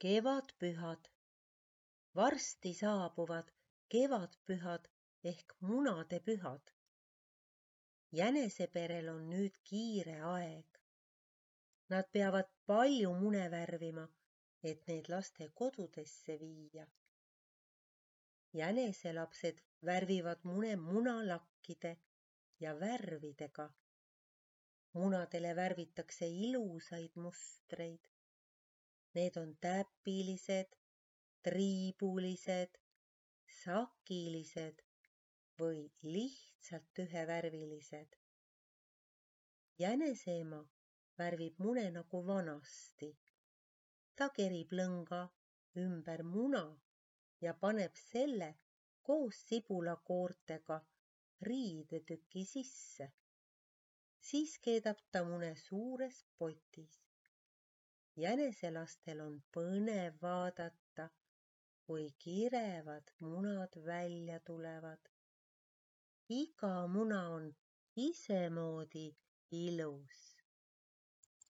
Kevadpühad. Varsti saabuvad kevadpühad ehk munadepühad. Jäneseperel on nüüd kiire aeg. Nad peavad palju mune värvima, et need laste kodudesse viia. Jäneselapsed värvivad mune munalakkide ja värvidega. Munadele värvitakse ilusaid mustreid. Need on täpilised, triibulised, sakilised või lihtsalt ühevärvilised. Jäneseema värvib mune nagu vanasti. Ta kerib lõnga ümber muna ja paneb selle koos sibulakoortega riidetüki sisse. Siis keedab ta mune suures potis. Jäneselastel on põnev vaadata, kui kirevad munad välja tulevad. Iga muna on isemoodi ilus.